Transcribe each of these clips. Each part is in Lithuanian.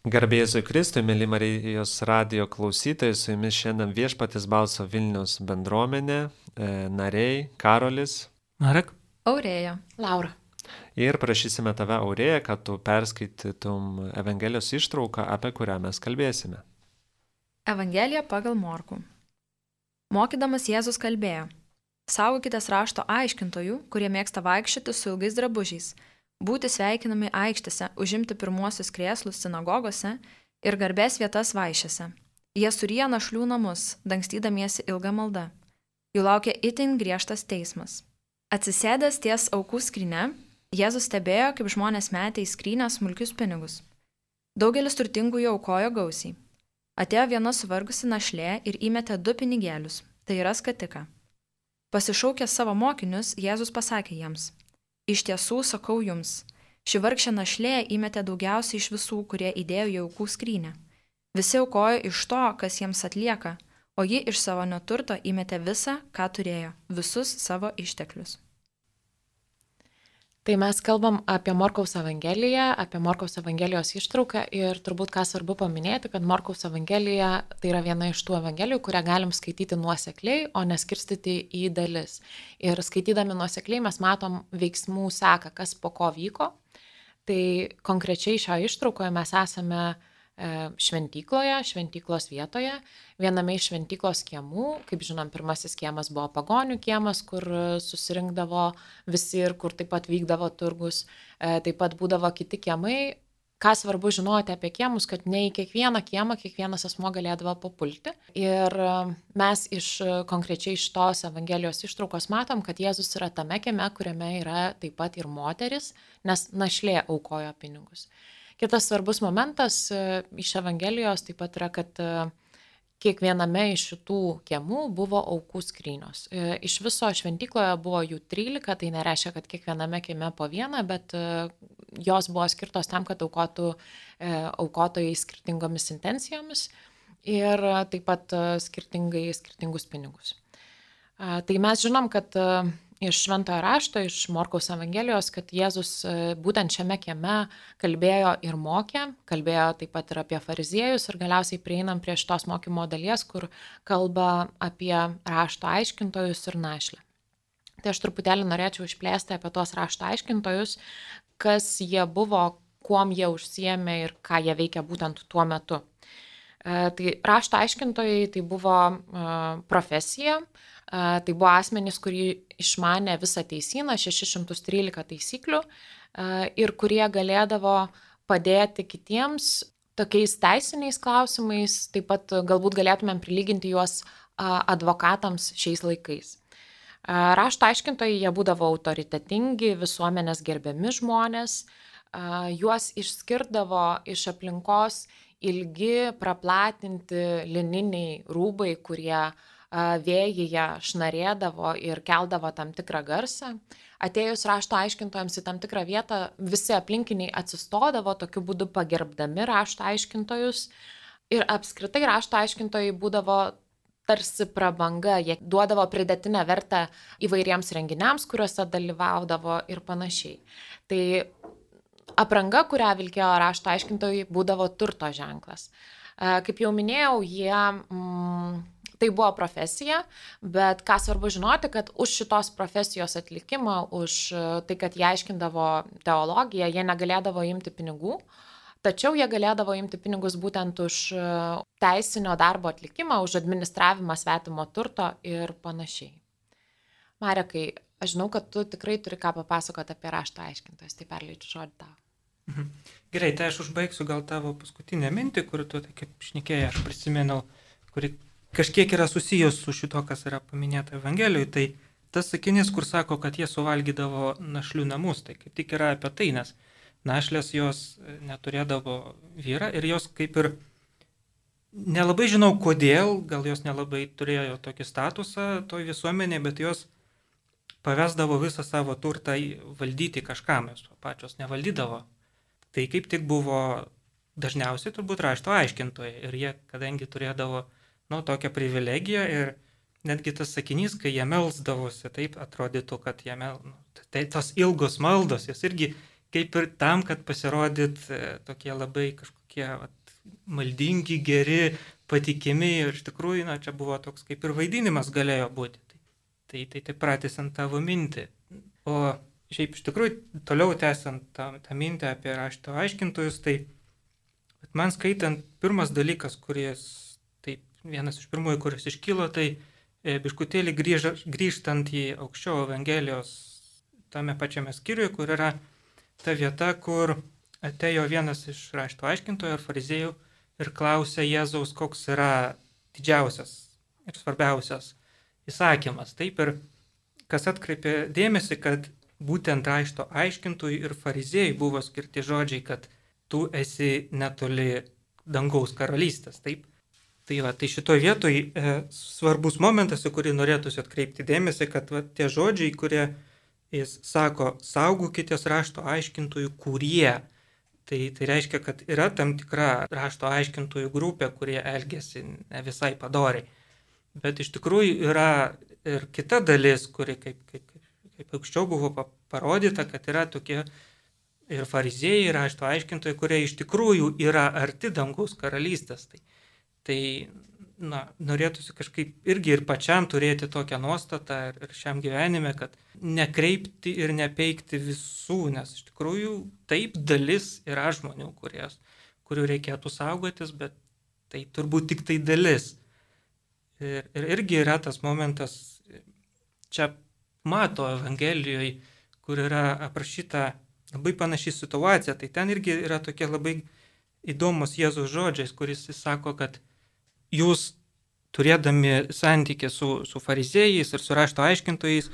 Garbė Jėzui Kristui, mėly Marijos radijo klausytojai, su jumis šiandien Viešpaties balso Vilniaus bendruomenė, nariai Karolis Marek. Aurėja. Laura. ir prašysime tave, Aurėja, kad tu perskaitytum Evangelijos ištrauką, apie kurią mes kalbėsime. Evangelija pagal Morkų. Mokydamas Jėzus kalbėjo: Saugokitės rašto aiškintojų, kurie mėgsta vaikščioti su ilgais drabužiais, būti sveikinami aikštėse, užimti pirmuosius krėslus sinagogose ir garbės vietas vaišėse. Jie suryja našlių namus, dangstydamiesi ilgą maldą. Jų laukia itin griežtas teismas. Atsisėdęs ties aukų skryne, Jėzus stebėjo, kaip žmonės metė į skrynę smulkius pinigus. Daugelis turtingųjų aukojo gausiai. Atėjo viena suvargusi našlė ir įmetė 2 pinigėlius, tai yra skatiką. Pasišaukęs savo mokinius, Jėzus pasakė jiems: Iš tiesų sakau jums, ši vargšė našlė įmetė daugiausiai iš visų, kurie įdėjo į aukų skrynę. Visi aukojo iš to, kas jiems atlieka, o ji iš savo neturto įmetė visą, ką turėjo, visus savo išteklius. Tai mes kalbam apie Morkaus Evangeliją, apie Morkaus Evangelijos ištrauką ir turbūt ką svarbu paminėti, kad Morkaus Evangelija tai yra viena iš tų Evangelijų, kurią galim skaityti nuosekliai, o neskirstyti į dalis. Ir skaitydami nuosekliai mes matom veiksmų seką, kas po ko vyko. Tai konkrečiai šioje ištraukoje mes esame šventykloje, šventyklos vietoje, viename iš šventyklos kiemų. Kaip žinom, pirmasis kiemas buvo pagonių kiemas, kur susirinkdavo visi ir kur taip pat vykdavo turgus. Taip pat būdavo kiti kiemai. Ką svarbu žinoti apie kiemus, kad ne į kiekvieną kiemą kiekvienas asmuo galėdavo papulti. Ir mes konkrečiai iš tos Evangelijos ištraukos matom, kad Jėzus yra tame kieme, kuriame yra taip pat ir moteris, nes našlė aukojo pinigus. Kitas svarbus momentas iš Evangelijos taip pat yra, kad kiekviename iš šitų kiemų buvo aukų skrynios. Iš viso šventykloje buvo jų 13, tai nereiškia, kad kiekviename kieme po vieną, bet jos buvo skirtos tam, kad aukotų aukotojai skirtingomis intencijomis ir taip pat skirtingus pinigus. Tai mes žinom, kad iš Šventojo rašto, iš Morkaus Evangelijos, kad Jėzus būtent šiame kieme kalbėjo ir mokė, kalbėjo taip pat ir apie fariziejus ir galiausiai prieinam prie šitos mokymo dalies, kur kalba apie rašto aiškintojus ir našlę. Tai aš truputėlį norėčiau išplėsti apie tuos rašto aiškintojus, kas jie buvo, kuom jie užsiėmė ir ką jie veikia būtent tuo metu. Tai rašto aiškintojai tai buvo profesija, tai buvo asmenys, kurie išmanė visą teisyną, 613 taisyklių ir kurie galėdavo padėti kitiems tokiais teisiniais klausimais, taip pat galbūt galėtumėm prilyginti juos advokatams šiais laikais. Rašto aiškintojai jie būdavo autoritetingi, visuomenės gerbiami žmonės, juos išskirdavo iš aplinkos ilgi, praplatinti lininiai rūbai, kurie vėjyje šnarėdavo ir keldavo tam tikrą garsą. Atėjus rašto aiškintojams į tam tikrą vietą, visi aplinkiniai atsistodavo, tokiu būdu pagerbdami rašto aiškintojus. Ir apskritai rašto aiškintojai būdavo tarsi prabanga, jie duodavo pridėtinę vertę įvairiems renginiams, kuriuose dalyvaudavo ir panašiai. Tai apranga, kurią vilkėjo rašto aiškintojai, būdavo turto ženklas. Kaip jau minėjau, tai buvo profesija, bet ką svarbu žinoti, kad už šitos profesijos atlikimą, už tai, kad jie aiškindavo teologiją, jie negalėdavo imti pinigų, tačiau jie galėdavo imti pinigus būtent už teisinio darbo atlikimą, už administravimą svetimo turto ir panašiai. Marekai, aš žinau, kad tu tikrai turi ką papasakoti apie rašto aiškintojus, tai perleidžiu žodį tau. Gerai, tai aš užbaigsiu gal tavo paskutinę mintį, kur tu, tai kaip šnekėjai, aš prisimenau, kuri kažkiek yra susijęs su šito, kas yra paminėta Evangelijoje, tai tas sakinys, kur sako, kad jie suvalgydavo našlių namus, tai kaip tik yra apie tai, nes našlės jos neturėdavo vyrą ir jos kaip ir nelabai žinau kodėl, gal jos nelabai turėjo tokį statusą toj visuomenėje, bet jos pavesdavo visą savo turtą valdyti kažkam, jos pačios nevaldydavo. Tai kaip tik buvo dažniausiai turbūt rašto aiškintojai ir jie, kadangi turėdavo tokią privilegiją ir netgi tas sakinys, kai jie melsdavosi, taip atrodytų, kad jie tai tos ilgos maldos, jos irgi kaip ir tam, kad pasirodyt tokie labai kažkokie tokie maldingi, geri, patikimi ir iš tikrųjų, čia buvo toks kaip ir vaidinimas galėjo būti. Tai pratęsiant tavo mintį. O šiaip iš tikrųjų, toliau tęsiant tą mintį apie rašto aiškintojus, tai man skaitant, pirmas dalykas, vienas iš pirmųjų, kuris iškilo, tai biškutėlį grįžtant į aukščiau Evangelijos tame pačiame skyriuje, kur yra ta vieta, kur atėjo vienas iš rašto aiškintojų ar fariziejų ir klausė Jėzaus, koks yra didžiausias ir svarbiausias įsakymas. Taip, ir kas atkreipė dėmesį, kad būtent rašto aiškintojų ir fariziejų buvo skirti žodžiai, kad tu esi netoli dangaus karalystės. Taip. Tai šitoje vietoje svarbus momentas, į kurį norėtųsi atkreipti dėmesį, kad tie žodžiai, kurie jis sako, saugokitės rašto aiškintojų, kurie. Tai reiškia, kad yra tam tikra rašto aiškintojų grupė, kurie elgesi ne visai padoriai. Bet iš tikrųjų yra ir kita dalis, kuri kaip aukščiau buvo parodyta, kad yra tokie ir fariziejai, ir rašto aiškintojai, kurie iš tikrųjų yra arti dangaus karalystės. Tai norėtųsi kažkaip irgi ir pačiam turėti tokią nuostatą ir šiam gyvenime, kad nekreipti ir nepeikti visų, nes iš tikrųjų taip dalis yra žmonių, kurių reikėtų saugotis, bet tai turbūt tik tai dalis. Ir irgi yra tas momentas, čia mato Evangelijoje, kur yra aprašyta labai panaši situacija, tai ten irgi yra tokie labai įdomus Jėzaus žodžiais, kuris sako, kad jūs turėdami santykį su fariziejais ir su rašto aiškintojais,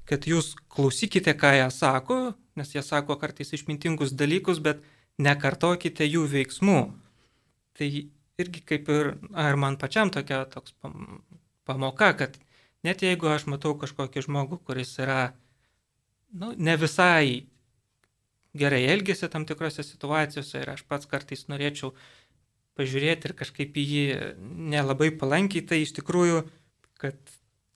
kad jūs klausykite, ką jie sako, nes jie sako kartais išmintingus dalykus, bet nekartokite jų veiksmų. Tai irgi kaip ir man pačiam toks pamoka, kad net jeigu aš matau kažkokį žmogų, kuris yra ne visai gerai elgėsi tam tikrose situacijose ir aš pats kartais norėčiau pažiūrėti ir kažkaip į jį nelabai palankiai, tai iš tikrųjų, kad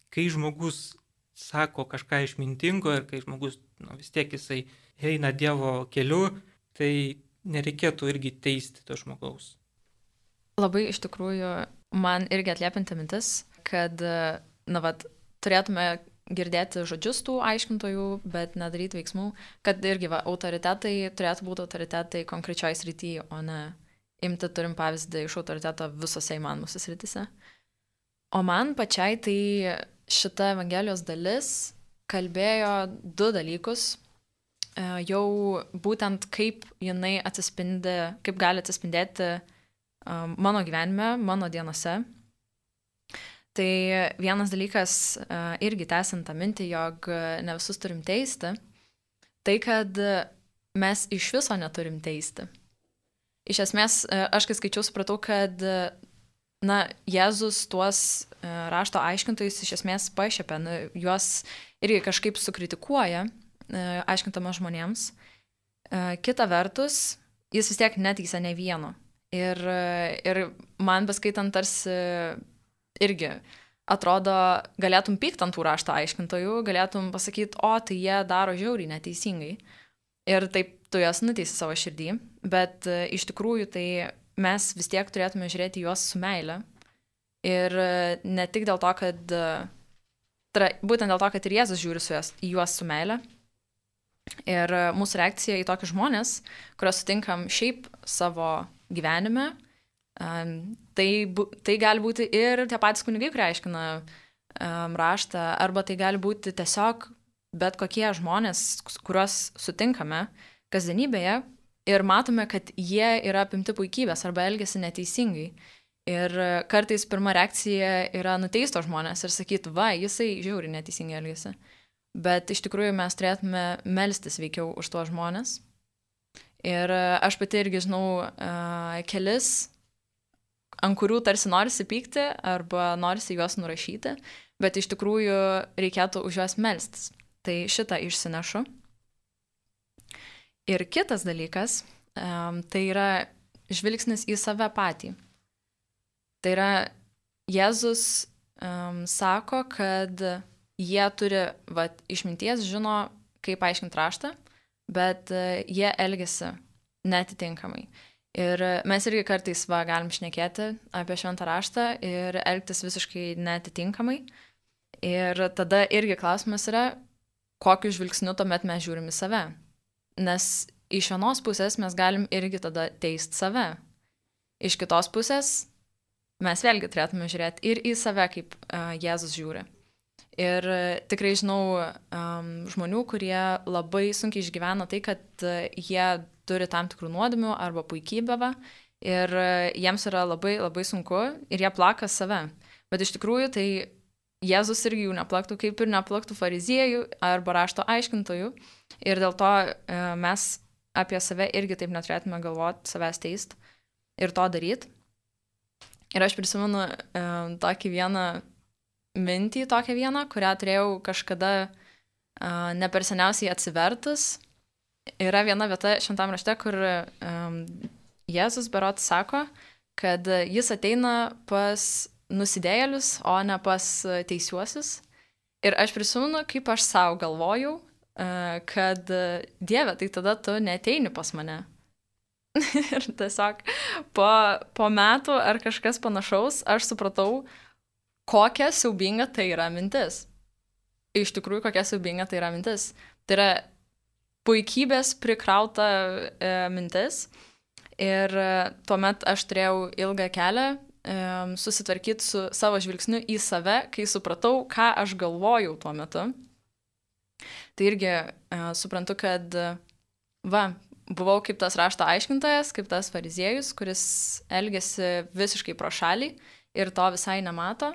kai žmogus sako kažką išmintingo ir kai žmogus vis tiek jisai eina Dievo keliu, tai nereikėtų irgi teisti to žmogaus. Labai iš tikrųjų man irgi atliepinti mintis, kad turėtume girdėti žodžius tų aiškintojų, bet nedaryti veiksmų, kad irgi autoritetai turėtų būti autoritetai konkrečioj srityje, o ne imti turim pavyzdį iš autoriteto visose įmanomuose srityse. O man pačiai tai šita Evangelijos dalis kalbėjo du dalykus, jau būtent kaip jinai kaip gali atsispindėti mano gyvenime, mano dienose. Tai vienas dalykas, irgi tęsiant tą mintį, jog ne visus turim teisti, tai kad mes iš viso neturim teisti. Iš esmės, aš kai skaičiau, supratau, kad Jėzus tuos rašto aiškintojus iš esmės pašiepia, juos irgi kažkaip sukritikuoja, aiškintamas žmonėms. Kita vertus, jis vis tiek neteisia ne vieno. Ir man beskaitant tarsi irgi atrodo, galėtum pykti ant tų rašto aiškintojų, galėtum pasakyti, tai jie daro žiauriai neteisingai. Ir taip tu jas nuteisi savo širdį, bet iš tikrųjų tai mes vis tiek turėtume žiūrėti juos su meile. Ir ne tik dėl to, kad būtent dėl to, kad ir Jėzus žiūri į juos su meile. Ir mūsų reakcija į tokius žmonės, kuriuos sutinkam šiaip savo gyvenime, tai gali būti ir tie patys kunigai, kurie aiškina raštą, arba tai gali būti tiesiog bet kokie žmonės, kuriuos sutinkame kasdienybėje ir matome, kad jie yra apimti puikybės arba elgiasi neteisingai. Ir kartais pirma reakcija yra nuteisto žmonės ir sakyti, jisai žiauriai neteisingai elgiasi. Bet iš tikrųjų mes turėtume melstis veikiau už tuos žmonės. Ir aš pati irgi žinau kelis, ant kurių tarsi norisi pykti arba norisi juos nurašyti, bet iš tikrųjų reikėtų už juos melstis. Tai šitą išsinešu. Ir kitas dalykas, tai yra žvilgsnis į save patį. Tai yra, Jėzus sako, kad jie turi išminties, žino, kaip aiškinti raštą, bet jie elgiasi netitinkamai. Ir mes irgi kartais galim šnekėti apie šventą raštą ir elgtis visiškai neatitinkamai. Ir tada irgi klausimas yra, kokiu žvilgsniu tuomet mes žiūrim į save. Nes iš vienos pusės mes galim irgi tada teisti save. Iš kitos pusės mes vėlgi turėtume žiūrėti ir į save, kaip Jėzus žiūri. Ir tikrai žinau žmonių, kurie labai sunkiai išgyvena tai, kad jie turi tam tikrų nuodėmių arba puikybę ir jiems yra labai, labai sunku ir jie plaka save. Bet iš tikrųjų tai Jėzus irgi jų neplaktų, kaip ir neplaktų fariziejų arba rašto aiškintojų. Ir dėl to mes apie save irgi taip neturėtume galvoti, savęs teist ir to daryti. Ir aš prisimenu tokį vieną mintį, kurią turėjau kažkada ne per seniausiai atsivertus. Yra viena vieta šventam rašte, kur Jėzus berods sako, kad jis ateina pas nusidėjėlius, o ne pas teisiuosius. Ir aš prisimenu, kaip aš savo galvojau, kad Dieve, tai tada tu neateini pas mane. Ir tiesiog po metų ar kažkas panašaus, aš supratau, kokia siaubinga tai yra mintis. Iš tikrųjų, kokia siaubinga tai yra mintis. Tai yra puikybės prikrauta mintis. Ir tuomet aš turėjau ilgą kelią susitvarkyti su savo žvilgsniu į save, kai supratau, ką aš galvojau tuo metu. Tai irgi suprantu, kad buvau kaip tas rašto aiškintojas, kaip tas fariziejus, kuris elgėsi visiškai pro šalį ir to visai nemato.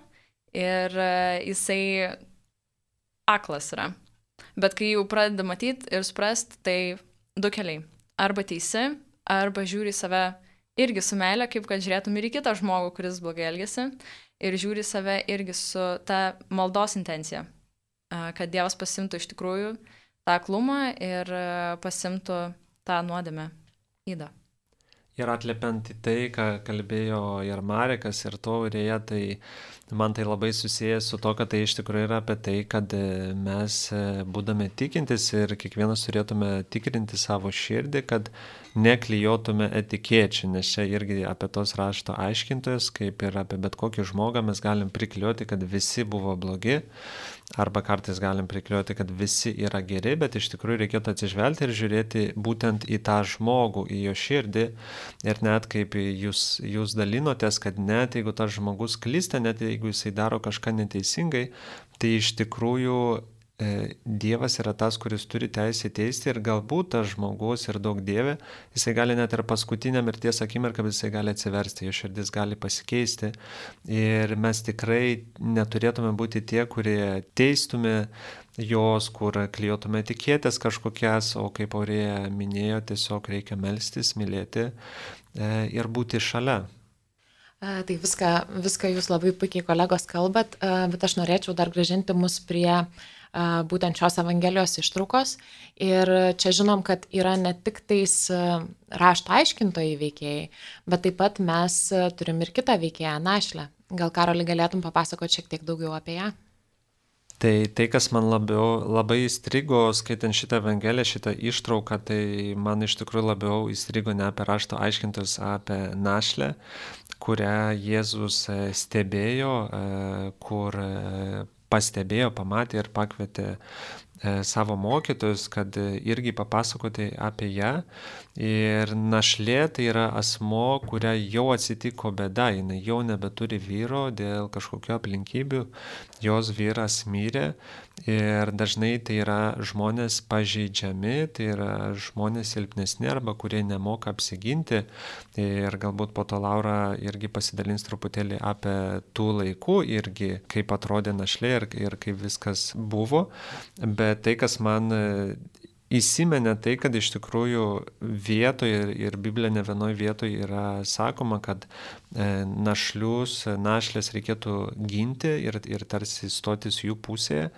Ir jisai aklas yra. Bet kai jau pradeda matyti ir suprasti, tai du keliai. Arba teisi, arba žiūri save irgi su meile, kaip kad žiūrėtum ir į kitą žmogų, kuris blogai elgėsi. Ir žiūri save irgi su ta maldos intencija. Kad Dievas pasimtų iš tikrųjų tą aklumą ir pasimtų tą nuodėmę ydą. Ir atliepiant į tai, ką kalbėjo ir Marekas, ir Taurėje, tai man tai labai susijęs su to, kad tai iš tikrųjų yra apie tai, kad mes būdami tikintis ir kiekvienas turėtume tikrinti savo širdį, kad neklijuotume etikečių, nes čia irgi apie tos rašto aiškintojus, kaip ir apie bet kokį žmogą mes galim priklijuoti, kad visi buvo blogi, arba kartais galim priklijuoti, kad visi yra geri, bet iš tikrųjų reikėtų atsižvelgti ir žiūrėti būtent į tą žmogų, į jo širdį. Ir net kaip jūs dalinotės, kad net jeigu tas žmogus klysta, net jeigu jisai daro kažką neteisingai, tai iš tikrųjų Dievas yra tas, kuris turi teisę teisti ir galbūt tas žmogus ir daug Dieve, jisai gali net ir paskutinę mirties akimirką, jisai gali atsiversti, jo širdis gali pasikeisti. Ir mes tikrai neturėtume būti tie, kurie teistume jos, kur klijuotume etiketės kažkokias, o kaip Aurėja minėjo, tiesiog reikia melstis, mylėti ir būti šalia. Tai viską jūs labai puikiai kolegos kalbat, bet aš norėčiau dar grąžinti mus prie būtent šios Evangelijos ištraukos. Ir čia žinom, kad yra ne tik tais rašto aiškintojai veikėjai, bet taip pat mes turim ir kitą veikėją, našlę. Gal, Karoli, galėtum papasakoti šiek tiek daugiau apie ją? Tai kas man labai įstrigo, skaitant šitą Evangeliją, šitą ištrauką, tai man iš tikrųjų labiau įstrigo ne apie rašto aiškintojus, apie našlę, kurią Jėzus stebėjo, kur pastebėjo, pamatė ir pakvietė savo mokytojus, kad irgi papasakoti apie ją. Ir našlė tai yra asmo, kuria jau atsitiko bėda, jinai jau nebeturi vyro dėl kažkokio aplinkybių, jos vyras mirė ir dažnai tai yra žmonės pažeidžiami, tai yra žmonės silpnesni arba kurie nemoka apsiginti. Ir galbūt po to Laura irgi pasidalins truputėlį apie tų laikų irgi, kaip atrodė našlė ir kaip viskas buvo. Bet tai, kas man įsimenė, tai, kad iš tikrųjų vietoje ir Biblija ne vienoje vietoje yra sakoma, kad našlės reikėtų ginti ir tarsi stotis jų pusėje.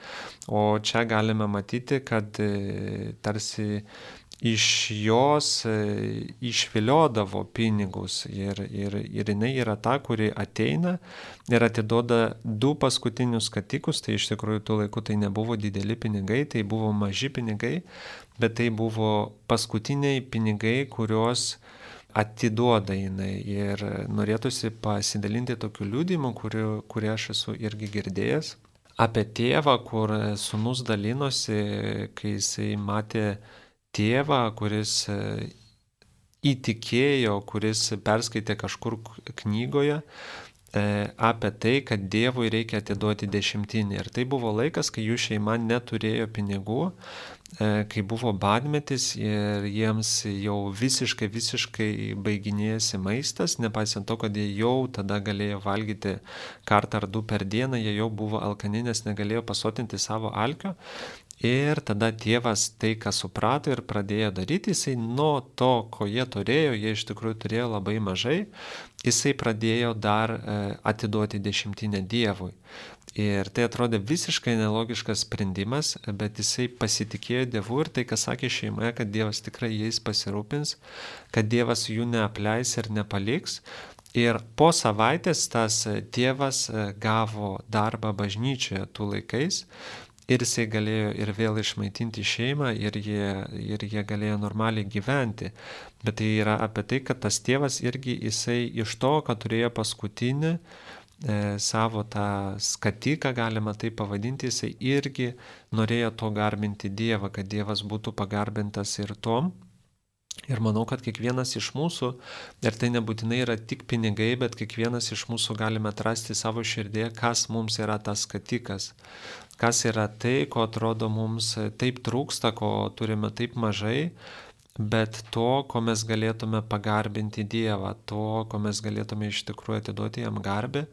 O čia galime matyti, kad tarsi iš jos išviliodavo pinigus ir jinai yra ta, kuri ateina ir atiduoda 2 paskutinius skatikus, tai iš tikrųjų tų laikų tai nebuvo dideli pinigai, tai buvo maži pinigai, bet tai buvo paskutiniai pinigai, kuriuos atiduoda jinai. Ir norėtųsi pasidalinti tokiu liudijimu, kurį aš esu irgi girdėjęs, apie tėvą, kur sūnus dalinosi, kai jisai matė tėvą, kuris įtikėjo, kuris perskaitė kažkur knygoje apie tai, kad Dievui reikia atiduoti 10. Ir tai buvo laikas, kai jų šeima neturėjo pinigų, kai buvo badmetis ir jiems jau visiškai baiginėjasi maistas, nepaisant to, kad jie jau tada galėjo valgyti kartą ar 2 per dieną, jie jau buvo alkani, nes negalėjo pasotinti savo alkio. Ir tada tėvas tai, ką suprato ir pradėjo daryti, jisai nuo to, ko jie turėjo, jie iš tikrųjų turėjo labai mažai, jisai pradėjo dar atiduoti 10 Dievui. Ir tai atrodė visiškai nelogiškas sprendimas, bet jisai pasitikėjo Dievu ir tai, ką sakė šeimoje, kad Dievas tikrai jais pasirūpins, kad Dievas jų neapleis ir nepaliks. Ir po savaitės tas tėvas gavo darbą bažnyčioje tų laikais. Ir jisai galėjo ir vėl išmaitinti šeimą ir jie galėjo normaliai gyventi. Bet tai yra apie tai, kad tas tėvas irgi jisai iš to, kad turėjo paskutinį savo tą skatiką, galima tai pavadinti, jisai irgi norėjo to garbinti Dievą, kad Dievas būtų pagarbintas ir tom. Ir manau, kad kiekvienas iš mūsų, ir tai nebūtinai yra tik pinigai, bet kiekvienas iš mūsų galime atrasti savo širdėje, kas mums yra tas skatikas. Kas yra tai, ko atrodo mums taip trūksta, ko turime taip mažai, bet to, ko mes galėtume pagarbinti Dievą, to, ko mes galėtume iš tikrųjų atiduoti jam garbę.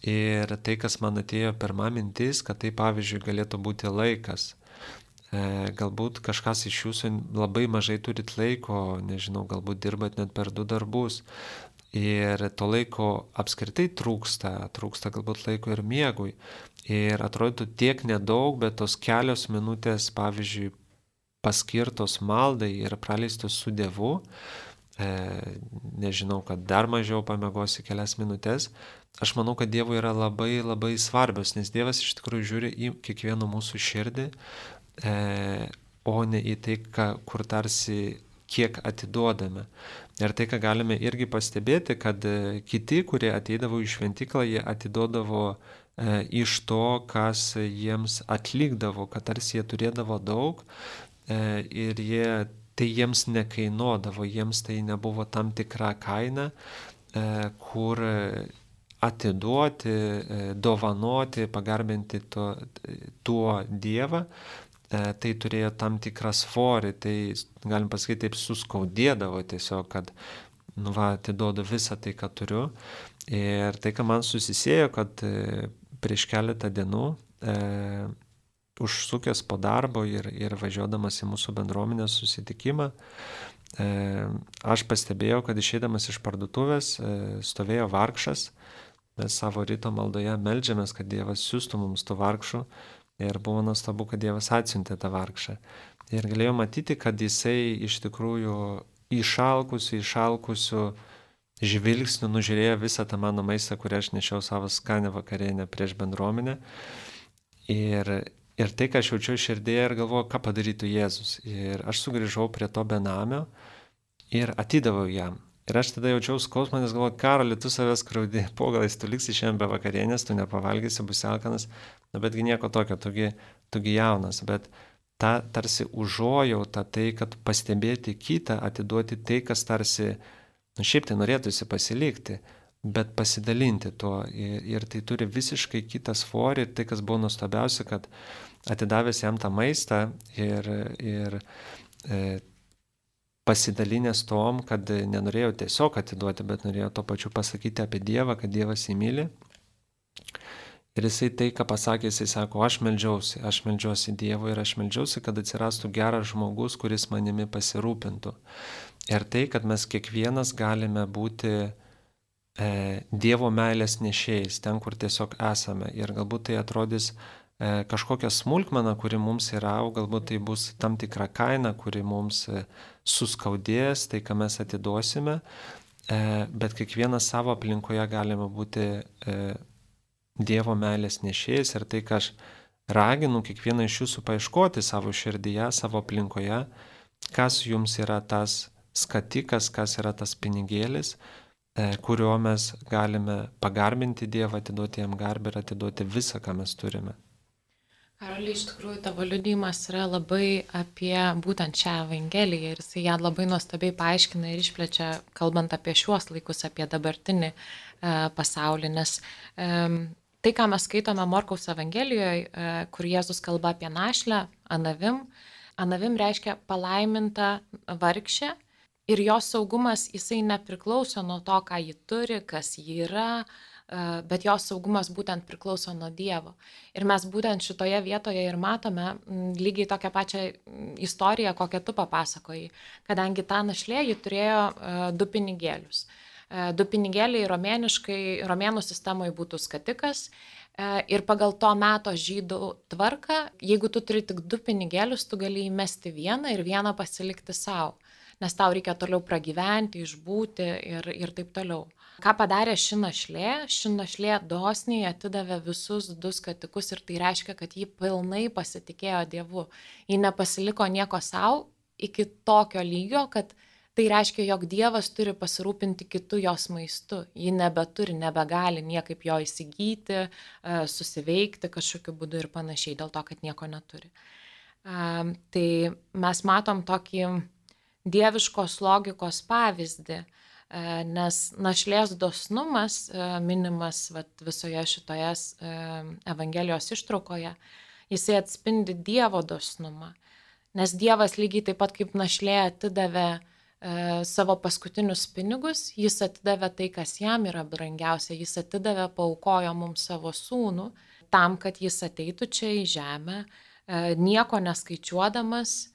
Ir tai, kas man atėjo pirma mintis, kad tai pavyzdžiui galėtų būti laikas. Galbūt kažkas iš jūsų labai mažai turit laiko, nežinau, galbūt dirbat net per 2 darbus. Ir to laiko apskritai trūksta galbūt laiko ir miegui. Ir atrodytų tiek nedaug, bet tos kelios minutės, pavyzdžiui, paskirtos maldai ir praleistos su Dievu, nežinau, kad dar mažiau pamiegosi kelias minutės, aš manau, kad Dievui yra labai labai svarbios, nes Dievas iš tikrųjų žiūri į kiekvieno mūsų širdį, o ne į tai, kur tarsi kiek atiduodame. Ir tai, ką galime irgi pastebėti, kad kiti, kurie ateidavo į šventyklą, jie atiduodavo iš to, kas jiems atlikdavo, kad tarsi jie turėdavo daug ir tai jiems nekainuodavo, jiems tai nebuvo tam tikra kaina, kur atiduoti, dovanoti, pagarbinti tuo Dievą. Tai turėjo tam tikrą svorį, tai galim pasakyti, taip suskaudėdavo tiesiog, kad atiduodu visą tai, ką turiu. Ir tai, ką man susisėjo, kad prieš keletą dienų, užsukęs po darbo ir važiuodamas į mūsų bendruomenės susitikimą, aš pastebėjau, kad išeidamas iš parduotuvės stovėjo vargšas. Mes savo ryto maldoje meldžiamės, kad Dievas siųstų mums tų vargšų. Ir buvo nuostabu, kad Dievas atsiuntė tą vargšą. Ir galėjau matyti, kad jisai iš tikrųjų išalkusių žvilgsnių nužiūrėjo visą tą mano maistą, kurį aš nešiau savo skanę vakarienę prieš bendruomenę. Ir tai, ką aš jaučiau širdėje ir galvojau, ką padarytų Jėzus. Ir aš sugrįžau prie to benamio ir atidaviau jam. Ir aš tada jaučiau skausmą, nes galvoju, Karoli, tu savęs kraudi, po galais tu liksi šiandien be vakarienės, tu nepavalgysi, bus alkanas, betgi nieko tokio, tugi jaunas, bet ta tarsi užuojauta, tai, kad pastebėti kitą, atiduoti tai, kas tarsi, šiaip tai norėtųsi pasilikti, bet pasidalinti tuo. Ir tai turi visiškai kitą svorį ir tai, kas buvo nuostabiausia, kad atidavęs jam tą maistą ir pasidalinęs tom, kad nenorėjau tiesiog atiduoti, bet norėjau to pačiu pasakyti apie Dievą, kad Dievas jį myli. Ir jisai tai, ką pasakė, jisai sako, aš meldžiuosi Dievui ir aš meldžiuosi, kad atsirastų geras žmogus, kuris manimi pasirūpintų. Ir tai, kad mes kiekvienas galime būti Dievo meilės nešėjais, ten, kur tiesiog esame. Ir galbūt tai atrodys kažkokia smulkmena, kuri mums yra, galbūt tai bus tam tikra kaina, kuri mums suskaudės, tai, ką mes atiduosime, bet kiekvienas savo aplinkoje galime būti Dievo meilės nešėjas ir tai, ką aš raginu kiekvieną iš jūsų paieškoti savo širdyje, savo aplinkoje, kas jums yra tas skatikas, kas yra tas pinigėlis, kuriuo mes galime pagarbinti Dievą, atiduoti jam garbę ir atiduoti visą, ką mes turime. Karoli, iš tikrųjų, tavo liudijimas yra labai apie būtent šią Evangeliją ir jisai ją labai nuostabiai paaiškina ir išplečia, kalbant apie šiuos laikus, apie dabartinį pasaulį, nes tai, ką mes skaitome Morkaus Evangelijoje, kur Jėzus kalba apie našlę, Anavim reiškia palaiminta vargšė ir jos saugumas, jisai nepriklauso nuo to, ką ji turi, kas ji yra, bet jos saugumas būtent priklauso nuo Dievo. Ir mes būtent šitoje vietoje ir matome lygiai tokią pačią istoriją, kokią tu papasakojai, kadangi ta našlė ji turėjo 2 pinigėlius. 2 pinigėliai romėnų sistemoje būtų skatikas ir pagal to meto žydų tvarką, jeigu tu turi tik 2 pinigėlius, tu gali įmesti vieną ir vieną pasilikti savo, nes tau reikia toliau pragyventi, išbūti ir taip toliau. Ką padarė ši našlė dosniai atidavė visus 2 skatikus ir tai reiškia, kad ji pilnai pasitikėjo Dievu. Ji nepasiliko nieko savo iki tokio lygio, kad tai reiškia, jog Dievas turi pasirūpinti kitų jos maistu. Ji nebegali niekaip jo įsigyti, susiveikti kažkokiu būdu ir panašiai, dėl to, kad nieko neturi. Tai mes matom tokį dieviškos logikos pavyzdį, nes našlės dosnumas minimas visoje šitoje Evangelijos ištraukoje, jisai atspindi Dievo dosnumą, nes Dievas lygiai taip pat kaip našlė atidavė savo paskutinius pinigus, jis atidavė tai, kas jam yra brangiausia, jis atidavė, paaukojo mums savo sūnų, tam, kad jis ateitų čia į žemę, nieko neskaičiuodamas,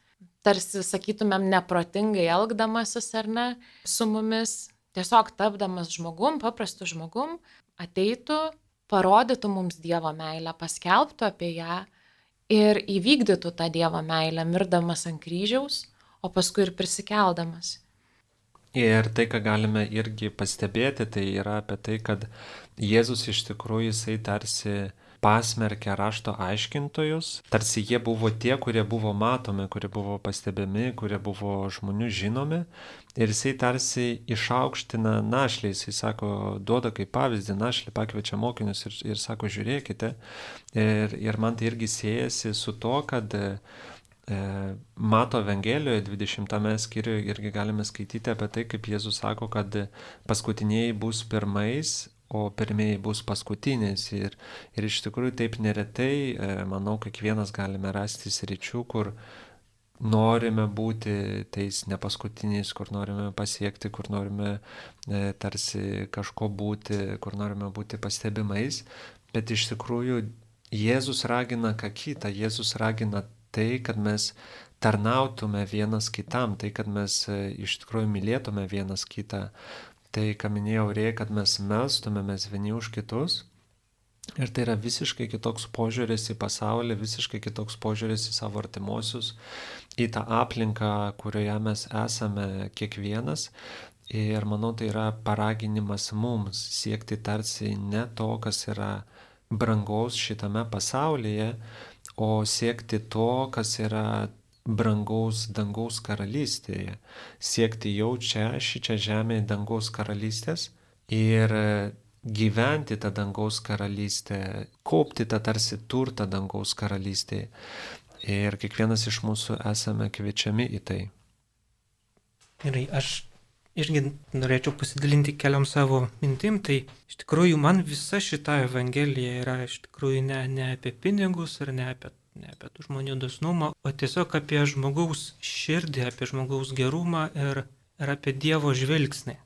tarsi, sakytumėm, neprotingai elgdamasis ar ne, su mumis, tiesiog tapdamas žmogum, paprastu žmogum, ateitų, parodytų mums Dievo meilę, paskelbtų apie ją ir įvykdytų tą Dievo meilę, mirdamas ant kryžiaus, o paskui ir prisikeldamas. Ir tai, ką galime irgi pastebėti, tai yra apie tai, kad Jėzus iš tikrųjų jisai tarsi pasmerkė rašto aiškintojus, tarsi jie buvo tie, kurie buvo matomi, kurie buvo pastebimi, kurie buvo žmonių žinomi. Ir jisai tarsi išaukština našlį, jisai sako, duoda kaip pavyzdį, našlį pakviečia mokinius ir sako, žiūrėkite. Ir man tai irgi siejasi su to, kad Mato Evangelijoje 20 skyriuje irgi galime skaityti apie tai, kaip Jėzus sako, kad paskutiniai bus pirmais, o pirmieji bus paskutiniais. Ir iš tikrųjų taip neretai, manau, kiekvienas galime rasti sričių, kur norime būti tais nepaskutiniais, kur norime pasiekti, kur norime tarsi kažko būti, kur norime būti pastebimais. Bet iš tikrųjų Jėzus ragina ką kitą. Jėzus ragina tai, kad mes tarnautume vienas kitam, tai, kad mes iš tikrųjų mylėtume vienas kitą. Tai, ką minėjau, reikia, kad mes melstumėmės vieni už kitus. Ir tai yra visiškai kitoks požiūris į pasaulį, visiškai kitoks požiūris į savo artimuosius, į tą aplinką, kurioje mes esame kiekvienas. Ir manau, tai yra paraginimas mums siekti tarsi ne to, kas yra brangaus šitame pasaulyje, o siekti to, kas yra brangaus dangaus karalystėje, siekti jau čia, šičia žemėje dangaus karalystės ir gyventi tą dangaus karalystę, kaupti tą tarsi turtą dangaus karalystėje. Ir kiekvienas iš mūsų esame kviečiami į tai. Gerai, aš irgi norėčiau pasidalinti keliom savo mintim, tai iš tikrųjų man visa šita Evangelija yra iš tikrųjų ne apie pinigus ir ne apie tų žmonių dosnumą, o tiesiog apie žmogaus širdį, apie žmogaus gerumą ir apie Dievo žvilgsnį.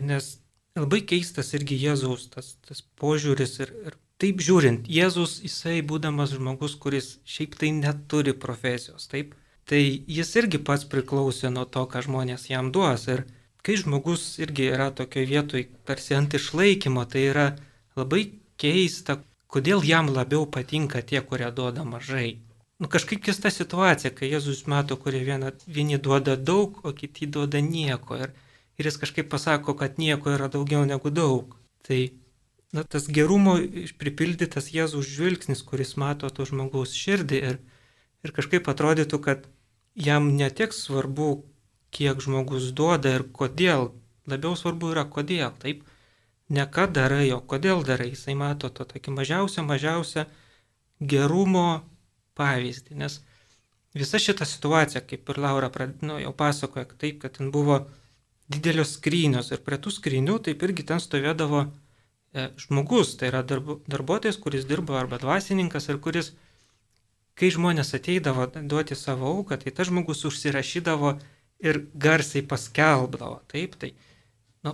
Nes labai keistas irgi Jėzaus tas požiūris ir taip žiūrint, Jėzus, jisai būdamas žmogus, kuris šiaip tai neturi profesijos, taip, tai jis irgi pats priklausė nuo to, ką žmonės jam duos. Ir kai žmogus irgi yra tokioje vietoje tarsi ant išlaikymo, tai yra labai keista, kodėl jam labiau patinka tie, kurie duoda mažai. Kažkaip keista situacija, kai Jėzus mato, kurie vieni duoda daug, o kiti duoda nieko. Ir jis kažkaip pasako, kad nieko yra daugiau negu daug. Tai tas gerumo pripildytas Jėzaus žvilgsnis, kuris mato to žmogaus širdį ir kažkaip atrodytų, kad jam netiek svarbu, kiek žmogus duoda ir kodėl. Labiau svarbu yra kodėl, taip? Ne ką darai, o kodėl darai. Jisai mato to tokį mažiausią gerumo pavyzdį. Nes visa šita situacija, kaip ir Laura jau pasakoja, taip, kad ten buvo didelios skrynios ir prie tų skrynių taip irgi ten stovėdavo žmogus, tai yra darbuotojas, kuris dirbo arba dvasininkas ir kuris, kai žmonės ateidavo duoti savo auką, tai tas žmogus užsirašydavo ir garsiai paskelbdavo. Taip, tai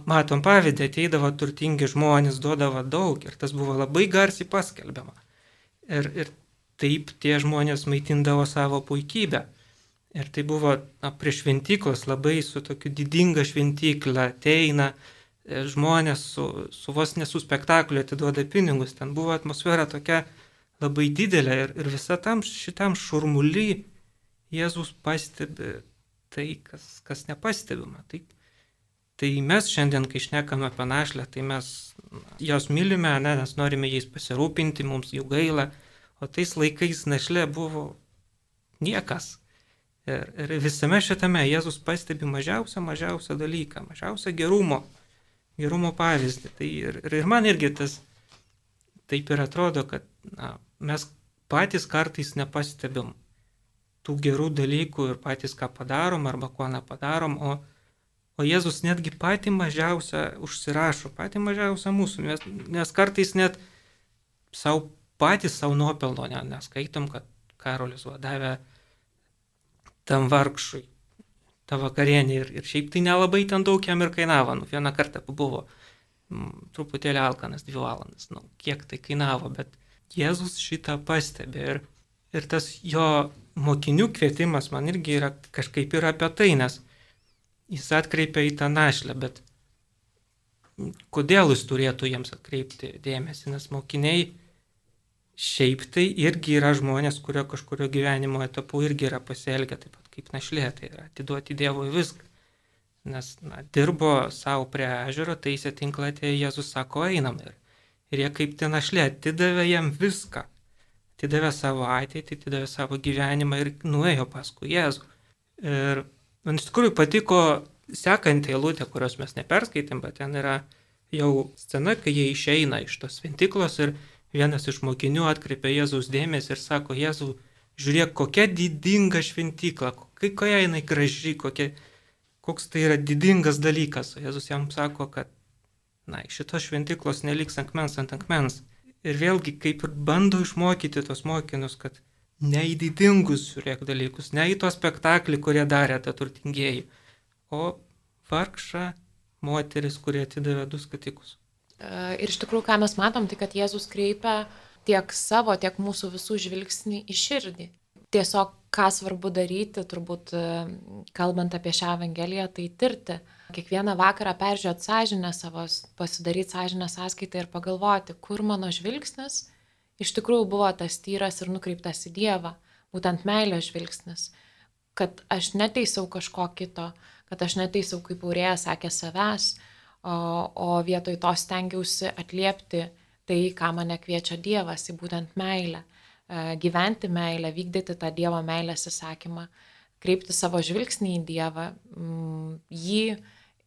matom pavyzdį, ateidavo turtingi žmonės, duodavo daug ir tas buvo labai garsiai paskelbiama. Ir taip tie žmonės maitindavo savo puikybę. Ir tai buvo prie šventyklos labai su tokiu didinga šventykla, ateina žmonės su vos ne su spektakliu atiduoda pinigus. Ten buvo atmosfera tokia labai didelė ir visam šitam šurmuly Jėzus pastebi tai, kas nepastebima. Tai mes šiandien, kai šnekame apie našlę, tai mes jos mylime, nes norime jais pasirūpinti, mums jų gaila, o tais laikais našlė buvo niekas. Ir visame šitame Jėzus pastebi mažiausią dalyką, mažiausią gerumo pavyzdį. Tai ir man irgi tas taip ir atrodo, kad mes patys kartais nepastebim tų gerų dalykų ir patys ką padarom arba ko nepadarom, o Jėzus netgi patį mažiausią užsirašo, patį mažiausią mūsų, nes kartais net patys savo nuopelno neskaitom, kad Karolis davė tam vargšui tą vakarienį ir šiaip tai nelabai ten daug jam ir kainavo. Vieną kartą buvo truputėlį alkanas 2 valandas, kiek tai kainavo, bet Jėzus šitą pastebė ir tas jo mokinių kvietimas man irgi yra kažkaip ir apie tai, nes jis atkreipia į tą našlę, bet kodėl jis turėtų jiems atkreipti dėmesį, nes mokiniai šiaip tai irgi yra žmonės, kurio kažkurio gyvenimo etapu irgi yra pasielgę taip pat kaip našlė, tai yra atiduoti Dievui viską. Nes dirbo savo prie ežero, taisė tinklą, atėjo Jėzus sako, einam. Ir jie kaip ten našlė atidavė jam viską. Atidavė savo ateitį, atidavė savo gyvenimą ir nuėjo paskui Jėzų. Ir man iš tikrųjų patiko sekanti eilutė, kurios mes neperskaitėm, bet ten yra jau scena, kai jie išeina iš tos šventyklos ir vienas iš mokinių atkreipia Jėzaus dėmesį ir sako, Jėzau, žiūrėk, kokia didinga šventykla, kokia jinai graži, koks tai yra didingas dalykas. O Jėzus jam sako, kad šitos šventyklos neliks akmens ant akmens. Ir vėlgi, kaip ir bando išmokyti tos mokinius, kad ne į didingus žiūrėk dalykus, ne į to spektaklį, kurie darė tą turtingieji, o vargšą moteris, kurie atidavė 2 skatikus. Ir iš tikrųjų, ką mes matom, tai kad Jėzus kreipia tiek savo, tiek mūsų visų žvilgsnį į širdį. Tiesiog, ką svarbu daryti, turbūt kalbant apie šią Evangeliją, tai tirti. Kiekvieną vakarą peržiūrėti sąžinę savo, pasidaryti sąžinę sąskaitą ir pagalvoti, kur mano žvilgsnis iš tikrųjų buvo tas tyras ir nukreiptas į Dievą, būtent meilės žvilgsnis. Kad aš neteisiau kažko kito, kad aš neteisiau, kaip Aurėja sakė, savęs, o vietoj to stengiausi atliepti tai, ką mane kviečia Dievas, į būtent meilę, gyventi meilę, vykdyti tą Dievo meilės įsakymą, kreipti savo žvilgsnį į Dievą, jį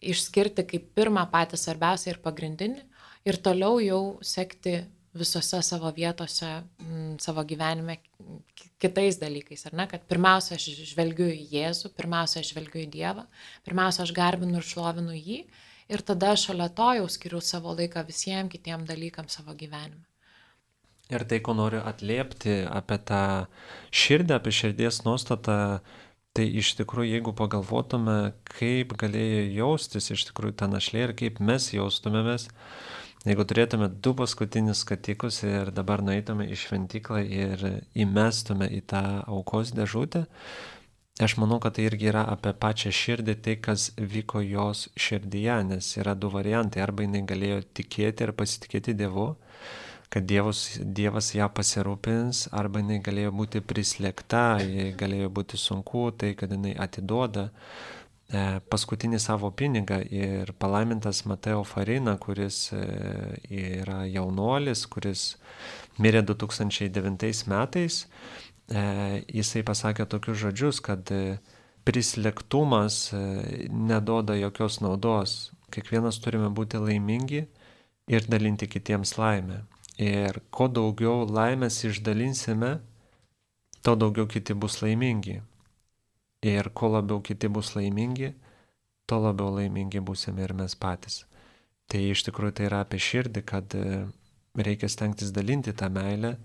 išskirti kaip pirmą patį svarbiausią ir pagrindinį ir toliau jau sekti visose savo vietose, savo gyvenime kitais dalykais, ar ne? Kad pirmiausia aš žvelgiu į Jėzų, pirmiausia aš žvelgiu į Dievą, pirmiausia aš garbinu ir šlovinu jį ir tada šalia to jau skiriu savo laiką visiems kitiem dalykams savo gyvenime. Ir tai, ko noriu atliepti apie tą širdį, apie širdies nuostatą, tai iš tikrųjų, jeigu pagalvotume, kaip galėjo jaustis iš tikrųjų ta našlė ir kaip mes jaustumėmės, jeigu turėtume 2 paskutinius skatikus ir dabar nueitume į šventyklą ir įmestume į tą aukos dėžutę, aš manau, kad tai irgi yra apie pačią širdį, tai kas vyko jos širdyje, nes yra 2 variantai, arba jinai galėjo tikėti ir pasitikėti Dievu, kad Dievas ją pasirūpins, arba jinai galėjo būti prislėgta, jai galėjo būti sunku, tai kad jinai atiduoda paskutinį savo pinigą ir palaimintas Mateo Farina, kuris yra jaunuolis, kuris mirė 2009 metais, jisai pasakė tokius žodžius, kad prislėgtumas neduoda jokios naudos. Kiekvienas turime būti laimingi ir dalinti kitiems laimę. Ir kuo daugiau laimės išdalinsime, tuo daugiau kiti bus laimingi. Ir kuo labiau kiti bus laimingi, tuo labiau laimingi būsime ir mes patys. Tai iš tikrųjų tai yra apie širdį, kad reikia stengtis dalinti tą meilę,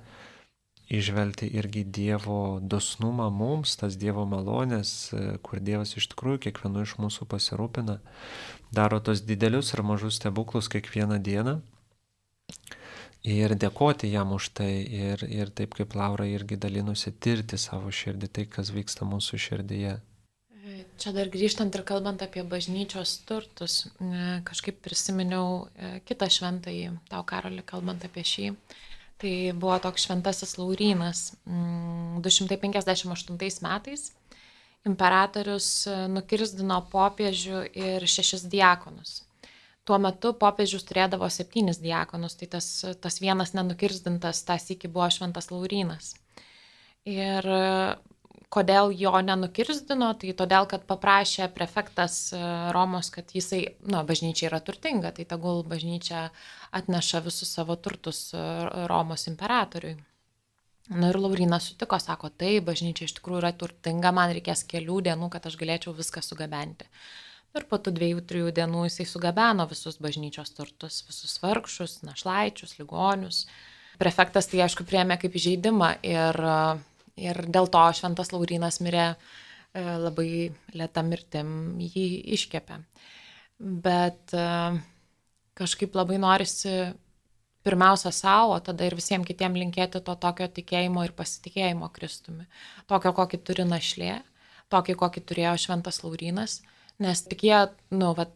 įžvelgti irgi Dievo dosnumą mums, tas Dievo malonės, kur Dievas iš tikrųjų kiekvienu iš mūsų pasirūpina, daro tos didelius ir mažus stebuklus kiekvieną dieną ir dėkoti jam už tai ir taip kaip Laura irgi dalinusi, tirti savo širdį, tai kas vyksta mūsų širdyje. Čia dar grįžtant ir kalbant apie bažnyčios turtus, kažkaip prisiminiau kitą šventąjį, tau Karoli, kalbant apie šį. Tai buvo toks šventasis Laurynas. 258 metais imperatorius nukirsdino popiežių ir 6 diakonus. Tuo metu popiežius turėdavo 7 diakonus, tai tas vienas nenukirsdintas tas iki buvo šventas Laurynas. Ir kodėl jo nenukirsdino, tai todėl, kad paprašė prefektas Romos, kad jisai, bažnyčia yra turtinga, tai tegul bažnyčia atneša visus savo turtus Romos imperatoriui. Ir Laurynas sutiko, sako, tai bažnyčia iš tikrųjų yra turtinga, man reikės kelių dienų, kad aš galėčiau viską sugabenti. Ir po tų 2-3 dienų jisai sugabeno visus bažnyčios turtus, visus vargšus, našlaičius, ligonius. Prefektas tai aišku priėmė kaip įžeidimą ir dėl to šventas Laurynas mirė labai lėta mirtim, jį iškepė. Bet kažkaip labai norisi pirmiausia savo, o tada ir visiems kitiems linkėti to tokio tikėjimo ir pasitikėjimo Kristumi. Tokio, kokį turi našlė, tokį, kokį turėjo šventas Laurynas, nes tik jie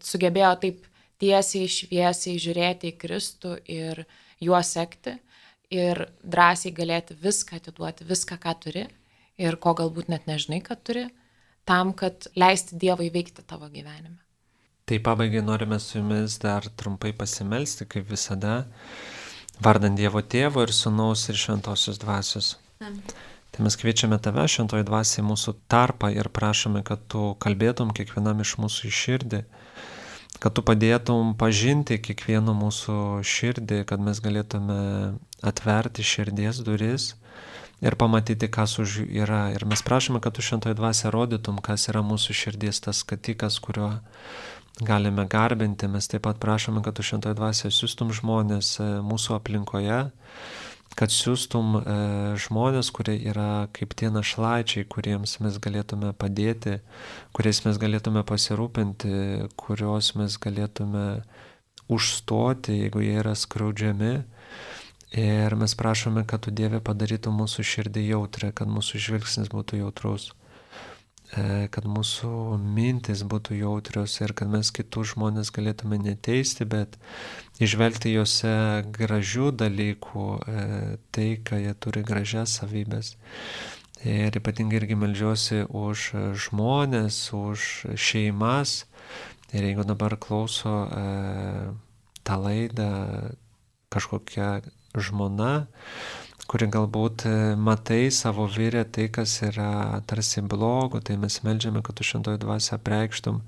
sugebėjo taip tiesiai, šviesiai žiūrėti į Kristų ir juo sekti. Ir drąsiai galėti viską atiduoti, viską, ką turi ir ko galbūt net nežinai, kad turi, tam, kad leisti Dievui veikti tavo gyvenime. Tai pabaigai norime su jumis dar trumpai pasimelsti, kaip visada, vardant Dievo Tėvo ir Sūnaus ir Šventosios Dvasios. Tai mes kviečiame tave, Šventoji Dvasia, į mūsų tarpą ir prašome, kad tu kalbėtum kiekvienam iš mūsų į širdį, kad tu padėtum pažinti kiekvieno mūsų širdį, kad mes galėtume atverti širdies duris ir pamatyti, kas už jų yra. Ir mes prašome, kad tu Šventoji Dvasia rodytum, kas yra mūsų širdies tas skatikas, kuriuo galime garbinti. Mes taip pat prašome, kad tu Šventoji Dvasia siūstum žmonės mūsų aplinkoje, kad siūstum žmonės, kurie yra kaip tie našlaičiai, kuriems mes galėtume padėti, kuriais mes galėtume pasirūpinti, kuriuos mes galėtume užstoti, jeigu jie yra skriaudžiami. Ir mes prašome, kad tu, Dieve, padarytum mūsų širdį jautrę, kad mūsų žvilgsnis būtų jautrus, kad mūsų mintis būtų jautrios ir kad mes kitus žmonės galėtume neteisti, bet įžvelgti juose gražių dalykų, tai, ką jie turi gražias savybės. Ir ypatingai irgi meldžiuosi už žmonės, už šeimas. Ir jeigu dabar klauso tą laidą kažkokia žmona, kuri galbūt matai savo vyrę tai, kas yra tarsi blogo, tai mes meldžiame, kad tu Šventoji Dvasia apreikštum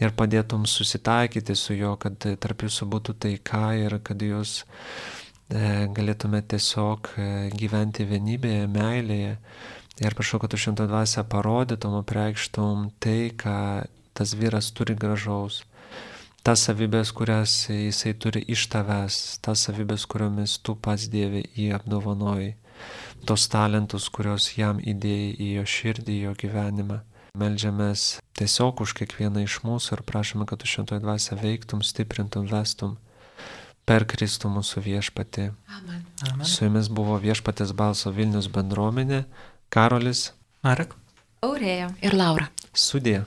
ir padėtum susitaikyti su juo, kad tarp jūsų būtų taika ir kad jūs galėtume tiesiog gyventi vienybėje, meilėje. Ir prašau, kad tu Šventoji Dvasia parodytum, apreikštum tai, ką tas vyras turi gražaus. Tas savybės, kurias jisai turi iš tavęs, tas savybės, kuriomis tu pats, Dieve, jį apdovanojai, tos talentus, kurios jam įdėjai į jo širdį, į jo gyvenimą. Meldžiamės tiesiog už kiekvieną iš mūsų ir prašome, kad tu Šventoji Dvasia veiktum, stiprintum, vestum per Kristų mūsų viešpatį. Amen. Amen. Su jumis buvo Viešpatės balso Vilnius bendruomenė, Karolis, Marek, Aurėja ir Laura. Sudie.